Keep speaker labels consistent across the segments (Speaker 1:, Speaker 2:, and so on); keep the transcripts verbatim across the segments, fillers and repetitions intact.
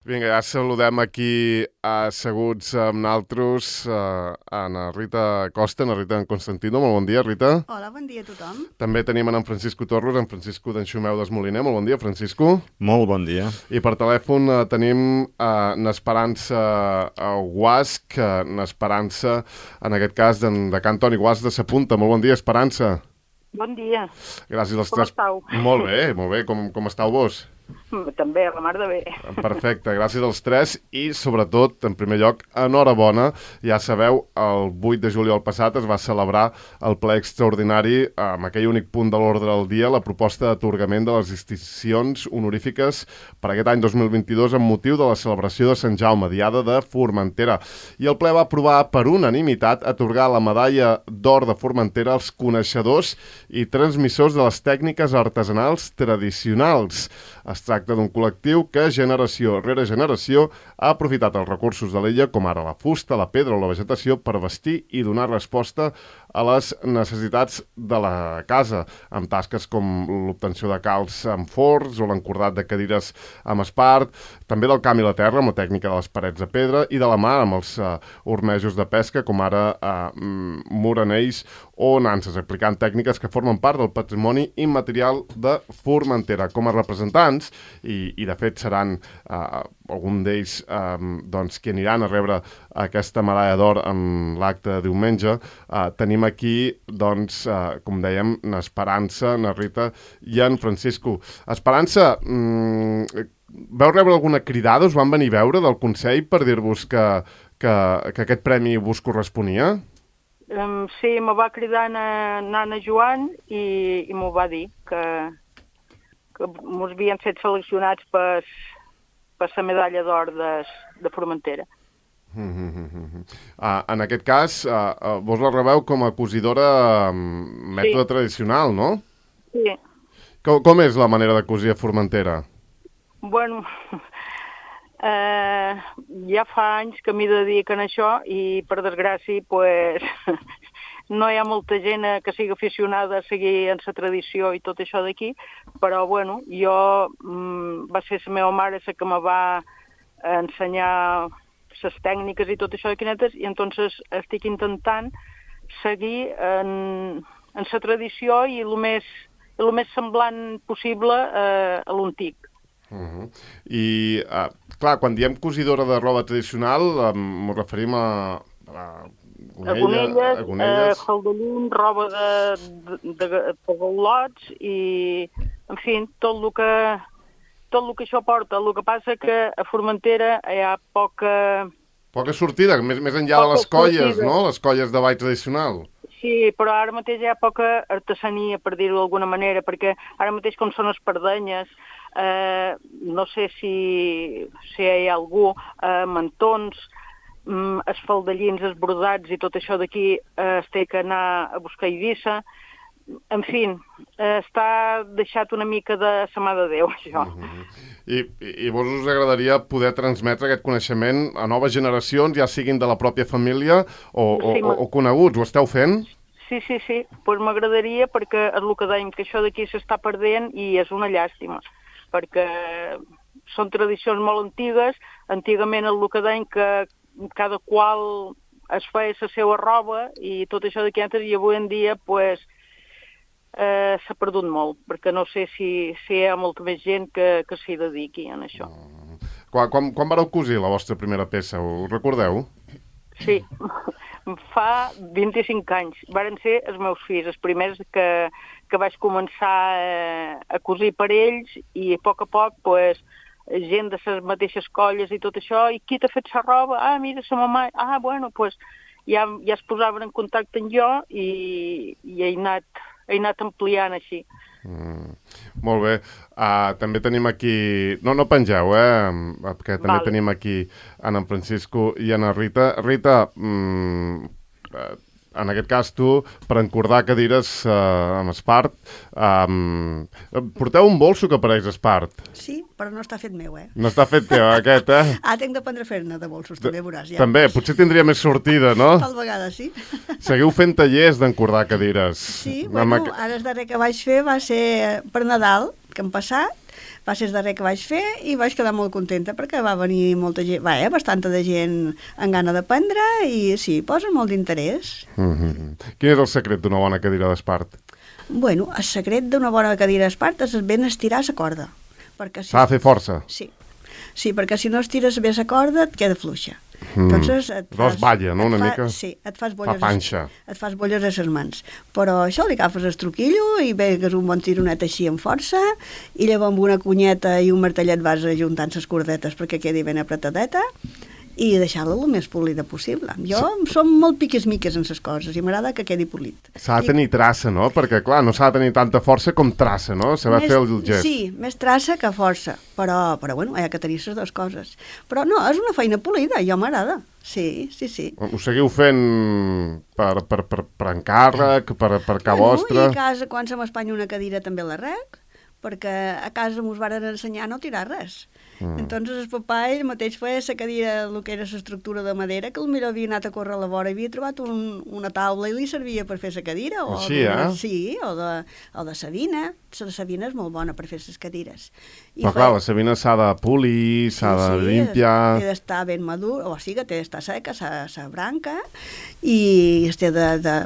Speaker 1: Vinga, ja saludem aquí asseguts amb naltros uh, a na Rita Costa, na Rita en Constantino. Molt bon dia, Rita.
Speaker 2: Hola, bon dia a tothom.
Speaker 1: També tenim en Francisco Torres, en Francisco d'Enxumeu d'Esmoliner. Molt bon dia, Francisco.
Speaker 3: Molt bon dia.
Speaker 1: I per telèfon uh, tenim uh, n'Esperança uh, Guasc, uh, n'Esperança, en aquest cas, de, de Can Toni Guasc de Sapunta. Molt bon dia, Esperança.
Speaker 4: Bon dia.
Speaker 1: Gràcies als
Speaker 4: com
Speaker 1: tres...
Speaker 4: estàu?
Speaker 1: Molt bé, molt bé. Com, com estàu vos?
Speaker 4: També, la mar de bé.
Speaker 1: Perfecte, gràcies als tres i, sobretot, en primer lloc, enhorabona. Ja sabeu, el vuit de juliol passat es va celebrar el ple extraordinari amb aquell únic punt de l'ordre del dia, la proposta d'atorgament de les distincions honorífiques per aquest any dos mil vint-i-dos amb motiu de la celebració de Sant Jaume, Diada de Formentera. I el ple va aprovar per unanimitat atorgar la medalla d'or de Formentera als coneixedors i transmissors de les tècniques artesanals tradicionals. Es tracta d'un col·lectiu que generació rere generació ha aprofitat els recursos de l'illa, com ara la fusta, la pedra o la vegetació, per vestir i donar resposta a les necessitats de la casa, amb tasques com l'obtenció de calç amb forns o l'encordat de cadires amb espart, també del camp i la terra, amb la tècnica de les parets de pedra, i de la mar, amb els uh, ormejos de pesca, com ara uh, moranells o nanses, aplicant tècniques que formen part del patrimoni immaterial de Formentera. Com a representants, i, i de fet seran uh, algun d'ells um, doncs, que aniran a rebre aquesta medalla d'or en l'acte de diumenge, uh, tenim aquí, doncs, uh, com dèiem, n'Esperança, na Rita i en Francisco. Esperança, mm, vau rebre alguna cridada? Us van venir a veure del Consell per dir-vos que, que, que aquest premi vos corresponia?
Speaker 4: Um, sí, me va cridar na, nana Joan i, i m'ho va dir, que, que mos havien fet seleccionats per, per la medalla d'or de, de Formentera.
Speaker 1: Mm -hmm. uh, en aquest cas, uh, uh, vos la rebeu com a cosidora um, mètode sí. tradicional, no?
Speaker 4: Sí.
Speaker 1: Com, com és la manera de cosir a Formentera?
Speaker 4: Bueno, eh, ja fa anys que m'hi dediquen a això i, per desgràcia, pues, no hi ha molta gent que sigui aficionada a seguir en la tradició i tot això d'aquí, però, bueno, jo, mm, va ser la meva mare la que me va ensenyar les tècniques i tot això de quinetes, i entonces estic intentant seguir en, en la tradició i el més, el més semblant possible eh, a l'antic.
Speaker 1: Uh -huh. I, uh, clar, quan diem cosidora de roba tradicional, um, ens referim a... a
Speaker 4: Gonelles, eh, faldellins, roba de, de, de pagalots i, en fi, tot el que... tot el que això porta. El que passa que a Formentera hi ha poca...
Speaker 1: Poca sortida, més, més enllà poca de les colles, sortida. No? Les colles de ball tradicional.
Speaker 4: Sí, però ara mateix hi ha poca artesania, per dir-ho d'alguna manera, perquè ara mateix com són espardenyes, eh, no sé si, si hi ha algú, eh, mantons, mm, els faldellins, els brodats i tot això d'aquí eh, es té que anar a buscar a Eivissa. En fi, eh, està deixat una mica de sa mà de Déu, això. Uh -huh.
Speaker 1: I, i, I vos us agradaria poder transmetre aquest coneixement a noves generacions, ja siguin de la pròpia família o, sí, o, o, o coneguts? Ho esteu fent?
Speaker 4: Sí, sí, sí. Pues m'agradaria, perquè és el que dèiem, que això d'aquí s'està perdent i és una llàstima, perquè són tradicions molt antigues. Antigament és el que dèiem, que cada qual es feia la seva roba i tot això d'aquí antes, i avui en dia, pues, Eh, s'ha perdut molt, perquè no sé si, si hi ha molta més gent que, que s'hi dediqui en això.
Speaker 1: Mm. Quan, quan, quan vareu cosir la vostra primera peça? Ho recordeu?
Speaker 4: Sí, fa vint-i-cinc anys. Varen ser els meus fills, els primers que, que vaig començar eh, a cosir per ells, i a poc a poc, pues, gent de les mateixes colles i tot això, i qui t'ha fet la roba? Ah, mira, sa mamà. Ah, bueno, pues, ja, ja es posaven en contacte amb jo i, i he anat he anat ampliant així.
Speaker 1: Mm, molt bé. Uh, també tenim aquí... No, no pengeu, eh? Perquè també vale. Tenim aquí en, en Francisco i en Rita. Rita, mm, en aquest cas tu, per encordar cadires uh, amb espart, um, porteu un bolso que pareix espart.
Speaker 2: Sí, però no està fet meu, eh?
Speaker 1: No està fet teu, aquest, eh?
Speaker 2: Ah, tinc d'aprendre a fer-ne de bolsos, també veuràs. Ja.
Speaker 1: També, potser tindria més sortida, no?
Speaker 2: Tal vegada, sí.
Speaker 1: Seguiu fent tallers d'encordar cadires.
Speaker 2: Sí, bueno, ara el darrer que vaig fer va ser per Nadal, que hem passat, Va ser el darrer que vaig fer i vaig quedar molt contenta perquè va venir molta gent, va, eh, bastanta de gent amb gana d'aprendre i sí, posa molt d'interès.
Speaker 1: Mm-hmm. Quin és el secret d'una bona cadira d'espart?
Speaker 2: Bueno, el secret d'una bona cadira d'espart és ben estirar la corda. Si...
Speaker 1: S'ha de fer força?
Speaker 2: Sí. Sí, perquè si no estires bé la corda et queda fluixa.
Speaker 1: Mm. Entonces et fas, balla, no? Una
Speaker 2: fa,
Speaker 1: mica...
Speaker 2: Sí, et fas bolles,
Speaker 1: fa panxa.
Speaker 2: Et fas bolles a les mans. Però això li agafes el truquillo i vegues un bon tironet així amb força i llavors amb una cunyeta i un martellet vas ajuntant les cordetes perquè quedi ben apretadeta i deixar-la el més polida possible. Jo sí. Som molt piques-miques en les coses i m'agrada que quedi polit.
Speaker 1: S'ha de tenir traça, no? Perquè, clar, no s'ha de tenir tanta força com traça, no? Se va més, fer el gest.
Speaker 2: Sí, més traça que força, però, però bueno, hi ha que tenir les dues coses. Però no, és una feina polida, jo m'agrada. Sí, sí, sí.
Speaker 1: Ho seguiu fent per, per, per, per encàrrec, per, per ca
Speaker 2: bueno,
Speaker 1: vostre?
Speaker 2: I a casa, quan se m'espanya una cadira, també la rec, perquè a casa mos varen ensenyar a no tirar res. Mm. Entonces el papà ell mateix feia la cadira, el que era l'estructura de madera, que potser havia anat a córrer a la vora i havia trobat un, una taula i li servia per fer la cadira. O
Speaker 1: Així, eh?
Speaker 2: Sí, o de, o de sabina. La sabina és molt bona per fer les cadires. I
Speaker 1: Però
Speaker 2: feia...
Speaker 1: clar, la sabina s'ha de polir, s'ha
Speaker 2: sí,
Speaker 1: de
Speaker 2: sí,
Speaker 1: limpiar...
Speaker 2: té d'estar ben madur, o sigui, té d'estar seca la branca i es té de, de,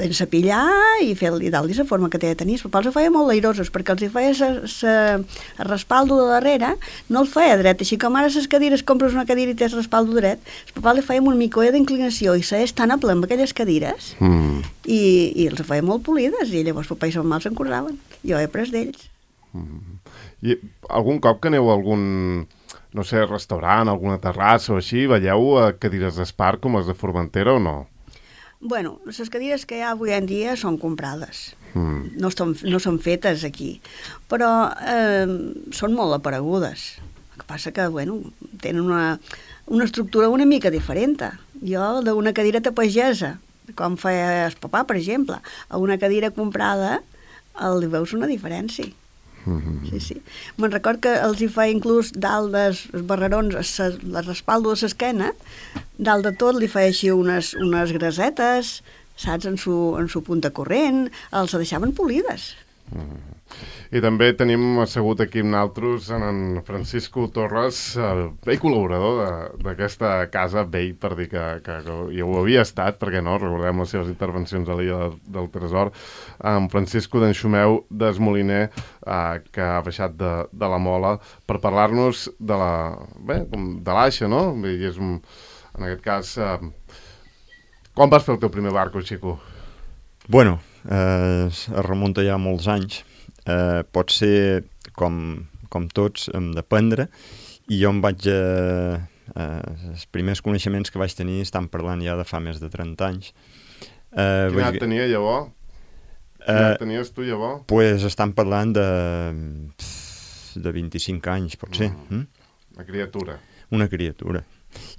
Speaker 2: de sapillar i fer-li dalt i la forma que té de tenir. Els papals ho feia molt airosos perquè els hi feia el respaldo de darrere, no el feia dret, així com ara les cadires, compres una cadira i tens respaldo dret, el papà li feia un micoia d'inclinació i s'és tan a ple amb aquelles cadires
Speaker 1: mm.
Speaker 2: i, i els feia molt polides i llavors papà i sa mamà se'n cordaven. Jo he après d'ells.
Speaker 1: Mm. I algun cop que aneu a algun, no sé, restaurant, alguna terrassa o així, veieu cadires d'espart com les de Formentera o no?
Speaker 2: Bueno, les cadires que hi ha avui en dia són comprades.
Speaker 1: Mm.
Speaker 2: No, són, no són fetes aquí, però eh, són molt aparegudes. El que passa que, bueno, tenen una, una estructura una mica diferent. Jo, d'una cadireta pagesa, com feia el papà, per exemple, a una cadira comprada, el veus una diferència.
Speaker 1: Mm-hmm.
Speaker 2: Sí, sí. Me'n record que els hi feia inclús dalt dels barrerons, el respaldo de l'esquena, dalt de tot li feia així unes, unes grasetes, saps, en su, en su punta corrent, els deixaven polides.
Speaker 1: Mm. I també tenim assegut aquí amb nosaltres en Francisco Torres, el vell col·laborador d'aquesta casa, vell per dir que, que, que ja ho havia estat, perquè no, recordem les seves intervencions a l'Illa del, del Tresor, en Francisco d'Enxumeu d'Esmoliner, eh, que ha baixat de, de la Mola, per parlar-nos de la, bé, de l'Aixa, no? I és un, en aquest cas, eh, quan vas fer el teu primer barco, Xico?
Speaker 3: Bueno, eh, es remunta ja molts anys. Eh, pot ser, com, com tots, hem d'aprendre, i jo em vaig... Eh, eh, els primers coneixements que vaig tenir estan parlant ja de fa més de trenta anys.
Speaker 1: Eh, Quina edat tenia llavors? Quina edat tenies tu llavors?
Speaker 3: Doncs pues estan parlant de, de vint-i-cinc anys, pot ser.
Speaker 1: Mm. Mm? Una criatura.
Speaker 3: Una criatura.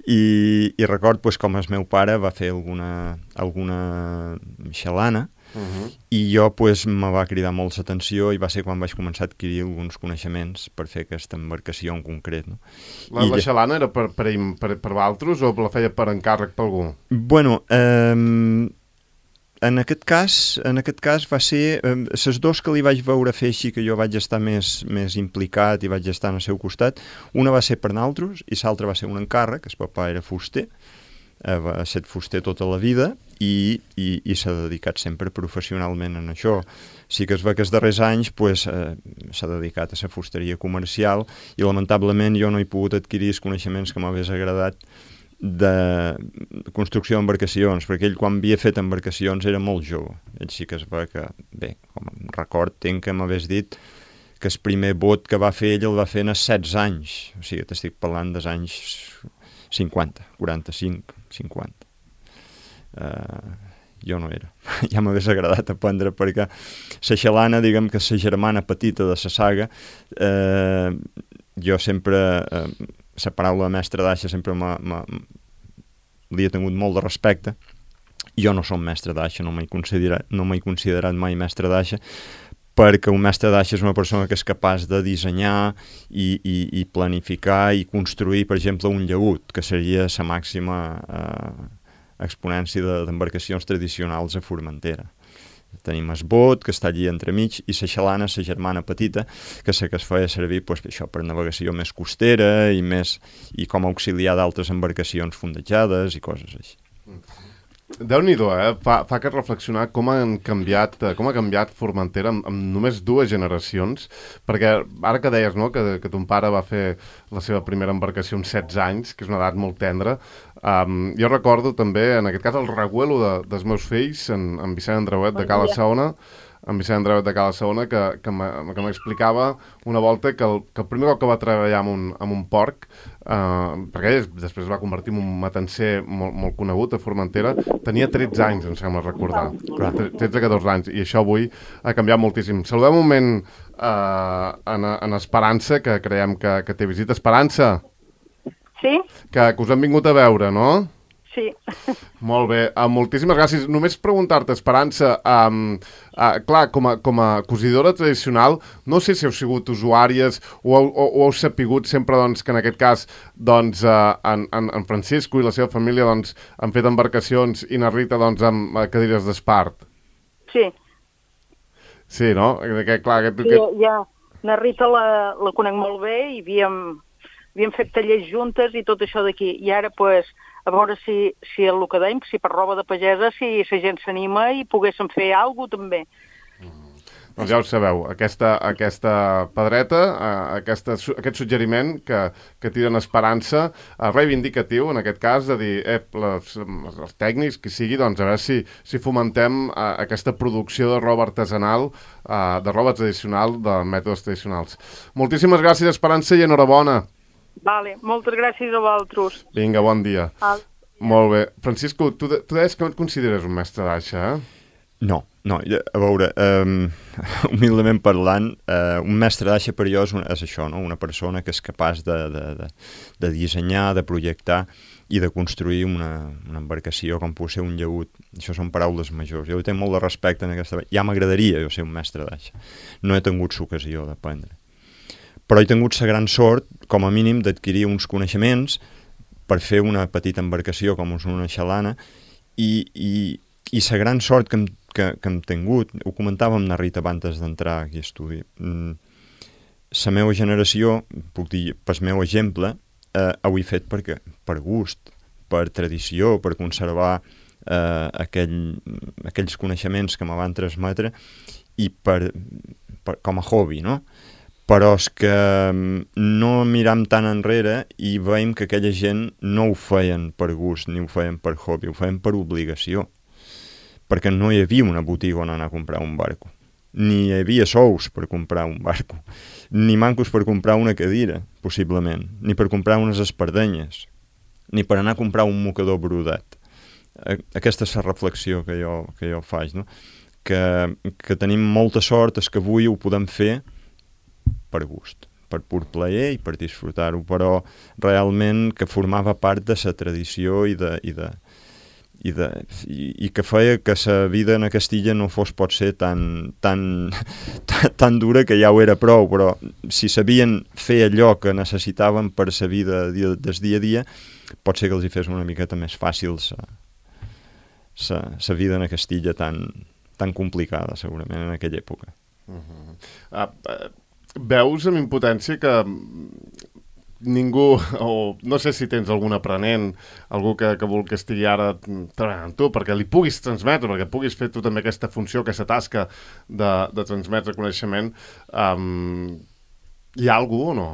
Speaker 3: I, i record pues, com el meu pare va fer alguna, alguna xalana, uh-huh. i jo pues, me va cridar molt l'atenció i va ser quan vaig començar a adquirir alguns coneixements per fer aquesta embarcació en concret. No?
Speaker 1: La, la xalana era per, per, per, per altres o la feia per encàrrec per algú?
Speaker 3: Bueno, eh, en aquest cas, en aquest cas va ser eh, les dos que li vaig veure fer així que jo vaig estar més, més implicat i vaig estar al seu costat. Una va ser per naltros i l'altra va ser un encàrrec, el papà era fuster, eh, va ser fuster tota la vida i, i, i s'ha dedicat sempre professionalment en això. Sí que es va que els darrers anys pues, eh, s'ha dedicat a la fusteria comercial i lamentablement jo no he pogut adquirir els coneixements que m'hagués agradat de construcció d'embarcacions, perquè ell quan havia fet embarcacions era molt jove. Ell sí que es va que, bé, com record, tenc que m'hagués dit que el primer bot que va fer ell el va fer en els setze anys, o sigui, t'estic parlant dels anys cinquanta, quaranta-cinc, cinquanta. Uh, jo no era. Ja m'hagués agradat aprendre perquè la xalana, diguem que la germana petita de la saga, eh, jo sempre... Eh, la paraula mestre d'aixa sempre li he tingut molt de respecte. Jo no som mestre d'aixa, no m'he considerat, no m'he considerat mai mestre d'aixa, perquè un mestre d'aixa és una persona que és capaç de dissenyar i, i, i planificar i construir, per exemple, un llaüt, que seria la màxima eh, exponència d'embarcacions tradicionals a Formentera. Tenim el bot, que està allí entremig, i la xalana, la germana petita, que sé que es feia servir pues, això per navegació més costera i, més, i com a auxiliar d'altres embarcacions fondejades i coses així.
Speaker 1: Déu-n'hi-do, eh? Fa, fa que reflexionar com han canviat, com ha canviat Formentera amb, amb només dues generacions, perquè ara que deies, no?, que, que ton pare va fer la seva primera embarcació amb setze anys, que és una edat molt tendra, um, jo recordo també, en aquest cas, el reguelo de, dels meus fills, en, en Vicent Andreuet de Cala Saona, en Vicent Andreuet de Cala Saona, que, que m'explicava una volta que el, que el primer cop que va treballar amb un, amb un porc, eh, perquè ell després es va convertir en un matancer molt, molt conegut a Formentera, tenia tretze anys, em sembla recordar, tretze catorze anys, i això avui ha canviat moltíssim. Saludem un moment eh, en, en Esperança, que creiem que, que té visita. Esperança!
Speaker 4: Sí?
Speaker 1: Que, que us han vingut a veure, no?
Speaker 4: Sí.
Speaker 1: Molt bé, uh, moltíssimes gràcies. Només preguntar-te, Esperança, um, uh, clar, com a, com a cosidora tradicional, no sé si heu sigut usuàries o, o, o heu sapigut sempre doncs, que en aquest cas doncs, uh, en, en, en Francisco i la seva família doncs, han fet embarcacions i na Rita doncs, amb uh, cadires d'espart.
Speaker 4: Sí.
Speaker 1: Sí, no? Que, clar, que,
Speaker 4: sí,
Speaker 1: que...
Speaker 4: ja, na Rita la, la conec molt bé i havíem, havíem fet tallers juntes i tot això d'aquí. I ara, pues, a veure si, si el que dèiem, si per roba de pagesa, si la gent s'anima i poguéssim fer alguna cosa també.
Speaker 1: Mm. Doncs ja ho sabeu, aquesta, aquesta pedreta, eh, aquesta, aquest suggeriment que, que tiren Esperança, eh, reivindicatiu en aquest cas, de dir, eh, les, els tècnics, qui sigui, doncs a veure si, si fomentem eh, aquesta producció de roba artesanal, eh, de roba tradicional, de mètodes tradicionals. Moltíssimes gràcies, Esperança, i enhorabona. Vale,
Speaker 4: moltes gràcies a vosaltres.
Speaker 1: Vinga, bon dia. Ah. Molt bé. Francisco, tu, tu deies que no et consideres un mestre d'aixa, eh?
Speaker 3: No, no. A veure, um, humilment parlant, uh, un mestre d'aixa per jo és, un, és això, no? Una persona que és capaç de, de, de, de dissenyar, de projectar i de construir una, una embarcació com pot ser un llaüt. Això són paraules majors. Jo tinc molt de respecte en aquesta... Ja m'agradaria jo ser un mestre d'aixa. No he tingut l'ocasió d'aprendre. Però he tingut la gran sort, com a mínim, d'adquirir uns coneixements per fer una petita embarcació com és una xalana i, i, i la gran sort que hem, que, que hem tingut, ho comentàvem amb la Rita abans d'entrar aquí a estudi, la meva generació, puc dir, pel meu exemple, eh, ho he fet perquè, per gust, per tradició, per conservar eh, aquell, aquells coneixements que me van transmetre i per, per, com a hobby, no? Però és que no miram tan enrere i veiem que aquella gent no ho feien per gust ni ho feien per hobby, ho feien per obligació. Perquè no hi havia una botiga on anar a comprar un barco. Ni hi havia sous per comprar un barco. Ni mancos per comprar una cadira, possiblement. Ni per comprar unes espardenyes. Ni per anar a comprar un mocador brodat. Aquesta és la reflexió que jo, que jo faig, no? Que, que tenim molta sort, és que avui ho podem fer per gust, per pur plaer i per disfrutar-ho, però realment que formava part de la tradició i, de, i, de, i, de, i, i que feia que la vida en Castilla no fos potser tan, tan, tan, tan dura que ja ho era prou, però si sabien fer allò que necessitaven per la vida del dia a dia, pot ser que els hi fes una miqueta més fàcil la vida en Castilla tan, tan complicada, segurament, en aquella època.
Speaker 1: Uh-huh. Uh, uh... Veus amb impotència que ningú, o no sé si tens algun aprenent, algú que, que vol que estigui ara treballant amb tu, perquè li puguis transmetre, perquè puguis fer tu també aquesta funció, aquesta tasca de, de transmetre coneixement, um, hi ha algú o no?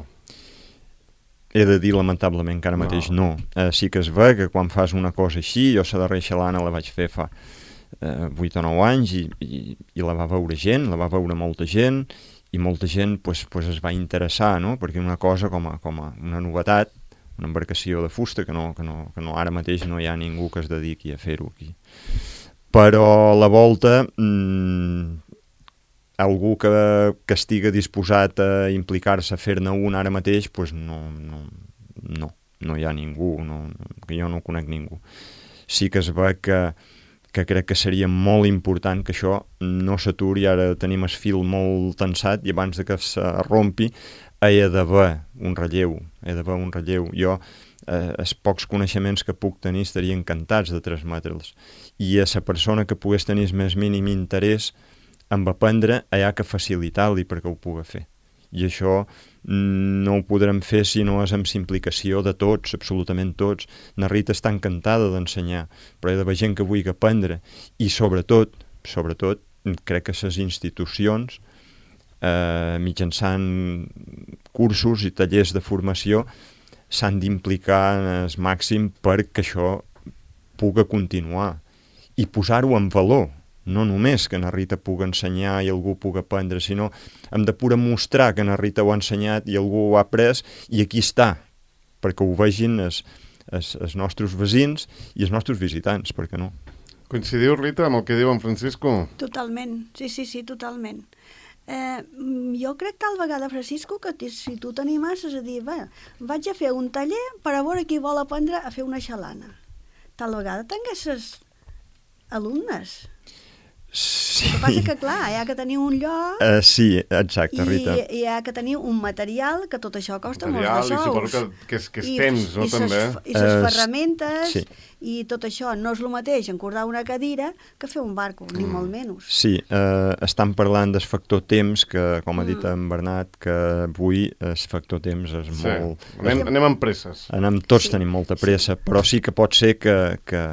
Speaker 3: He de dir, lamentablement, que ara mateix no. no. Uh, sí que es ve que quan fas una cosa així, jo la darrera xalana la vaig fer fa uh, vuit o nou anys i, i, i la va veure gent, la va veure molta gent, i molta gent pues, pues es va interessar, no? Perquè una cosa com a, com a una novetat, una embarcació de fusta, que, no, que, no, que no, ara mateix no hi ha ningú que es dediqui a fer-ho aquí. Però a la volta, mmm, algú que, que estigui disposat a implicar-se a fer-ne un ara mateix, pues no, no, no, no hi ha ningú, no, que jo no conec ningú. Sí que es ve que que crec que seria molt important que això no s'aturi, ara tenim el fil molt tensat i abans de que se rompi hi ha d'haver un relleu, hi ha d'haver un relleu. Jo eh, els pocs coneixements que puc tenir estaria encantats de transmetre'ls. I a la persona que pogués tenir el més mínim interès en aprendre, hi ha que facilitar-li perquè ho pugui fer. I això no ho podrem fer si no és amb implicació de tots, absolutament tots. Na Rita està encantada d'ensenyar, però hi ha d'haver gent que vulgui aprendre. I sobretot, sobretot, crec que les institucions, eh, mitjançant cursos i tallers de formació, s'han d'implicar al màxim perquè això pugui continuar i posar-ho en valor. No només que na Rita pugui ensenyar i algú pugui aprendre, sinó hem de poder mostrar que na Rita ho ha ensenyat i algú ho ha après i aquí està, perquè ho vegin els, els, els nostres veïns i els nostres visitants, per què no?
Speaker 1: Coincidiu, Rita, amb el que diu en Francisco?
Speaker 2: Totalment, sí, sí, sí, totalment. Eh, jo crec tal vegada, Francisco, que si tu t'animasses a dir, bé, vaig a fer un taller per a veure qui vol aprendre a fer una xalana. Tal vegada tinguessis alumnes.
Speaker 3: Sí.
Speaker 2: El que passa que, clar, hi ha que tenir un lloc...
Speaker 3: Uh, sí, exacte,
Speaker 2: i,
Speaker 3: Rita.
Speaker 2: I hi ha que tenir un material, que tot això costa
Speaker 1: material,
Speaker 2: molts de sous.
Speaker 1: I suposo que, que, és, que és I, temps, no,
Speaker 2: i
Speaker 1: també?
Speaker 2: Ses, I les
Speaker 3: uh,
Speaker 2: ferramentes,
Speaker 3: sí.
Speaker 2: I tot això no és el mateix encordar una cadira que fer un barco, mm. ni molt menys.
Speaker 3: Sí, uh, estan parlant del factor temps, que, com ha dit mm. en Bernat, que avui el factor temps és sí. molt...
Speaker 1: Anem, anem amb presses.
Speaker 3: Anem, tots
Speaker 2: sí.
Speaker 3: tenim molta pressa, sí. però sí que pot ser que... que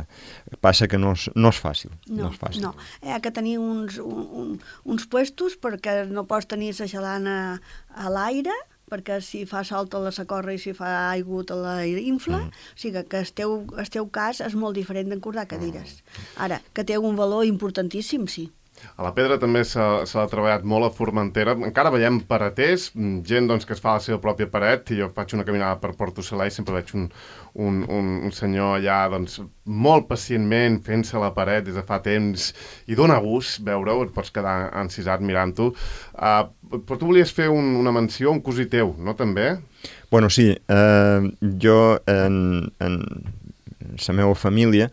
Speaker 3: passa que no és, no és fàcil.
Speaker 2: No,
Speaker 3: no és fàcil.
Speaker 2: No. Hi ha que tenir uns, un, un, uns puestos perquè no pots tenir la xalana a l'aire, perquè si fa sol te la socorre i si fa aigua te la infla, mm. o sigui que el teu, el teu cas és molt diferent d'encordar cadires. Ara, que té un valor importantíssim, sí.
Speaker 1: A la pedra també s'ha treballat molt a Formentera. Encara veiem pareters, gent doncs, que es fa la seva pròpia paret, i jo faig una caminada per Porto Salà i sempre veig un, un, un, un senyor allà doncs, molt pacientment fent-se la paret des de fa temps, i dona gust veure-ho, et pots quedar encisat mirant-ho. Uh, però tu volies fer un, una menció, un cosí teu, no també?
Speaker 3: Bueno, sí. Uh, jo en... en... la meva família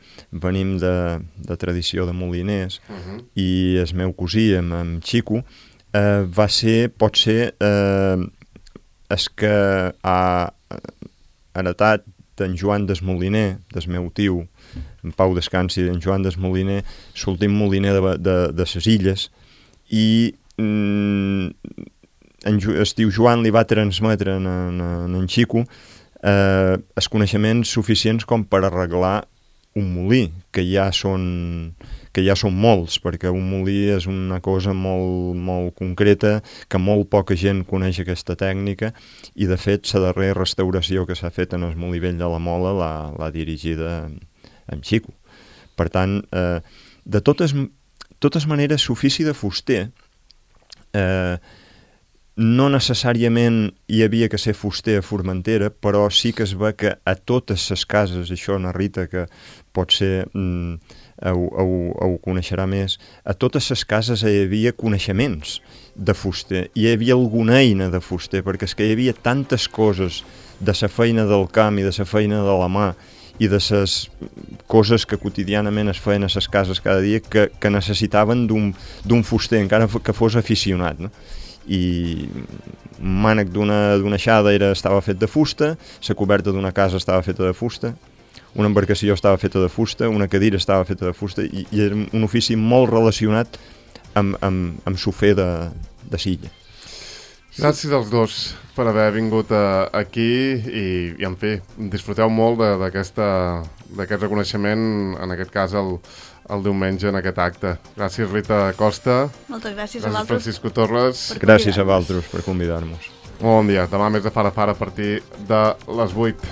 Speaker 3: venim de, de tradició de moliners uh -huh. i el meu cosí, amb, amb Xico, eh, va ser, pot ser, eh, el que ha heretat d'en Joan des Moliner, del meu tio, en Pau Descansi, d'en Joan des Moliner, l'últim moliner de, de, de ses illes, i mm, en, el tio Joan li va transmetre en, en, en, en Xico Eh, els coneixements suficients com per arreglar un molí, que ja són, que ja són molts, perquè un molí és una cosa molt, molt concreta, que molt poca gent coneix aquesta tècnica, i de fet la darrera restauració que s'ha fet en el molí vell de la Mola l'ha dirigida en Xico. Per tant, eh, de totes, totes maneres, l'ofici de fuster eh, no necessàriament hi havia que ser fuster a Formentera, però sí que es ve que a totes les cases, això na Rita, que pot ser, mm, ho, ho, ho coneixerà més, a totes les cases hi havia coneixements de fuster, hi havia alguna eina de fuster, perquè és que hi havia tantes coses de la feina del camp i de la feina de la mà, i de les coses que quotidianament es feien a les cases cada dia, que, que necessitaven d'un fuster, encara que fos aficionat, no? I un mànec d'una aixada era, estava fet de fusta, la coberta d'una casa estava feta de fusta, una embarcació estava feta de fusta, una cadira estava feta de fusta, i, i era un ofici molt relacionat amb, amb, amb sofer de, de Silla.
Speaker 1: Gràcies als dos per haver vingut a, aquí i, i, en fi, disfruteu molt d'aquest reconeixement, en aquest cas el, el diumenge en aquest acte. Gràcies, Rita Costa.
Speaker 2: Moltes gràcies, gràcies
Speaker 1: a vosaltres. Francisco Torres.
Speaker 3: Gràcies a vosaltres per convidar-nos.
Speaker 1: Molt bon dia. Demà més de Fara Fara a partir de les vuit.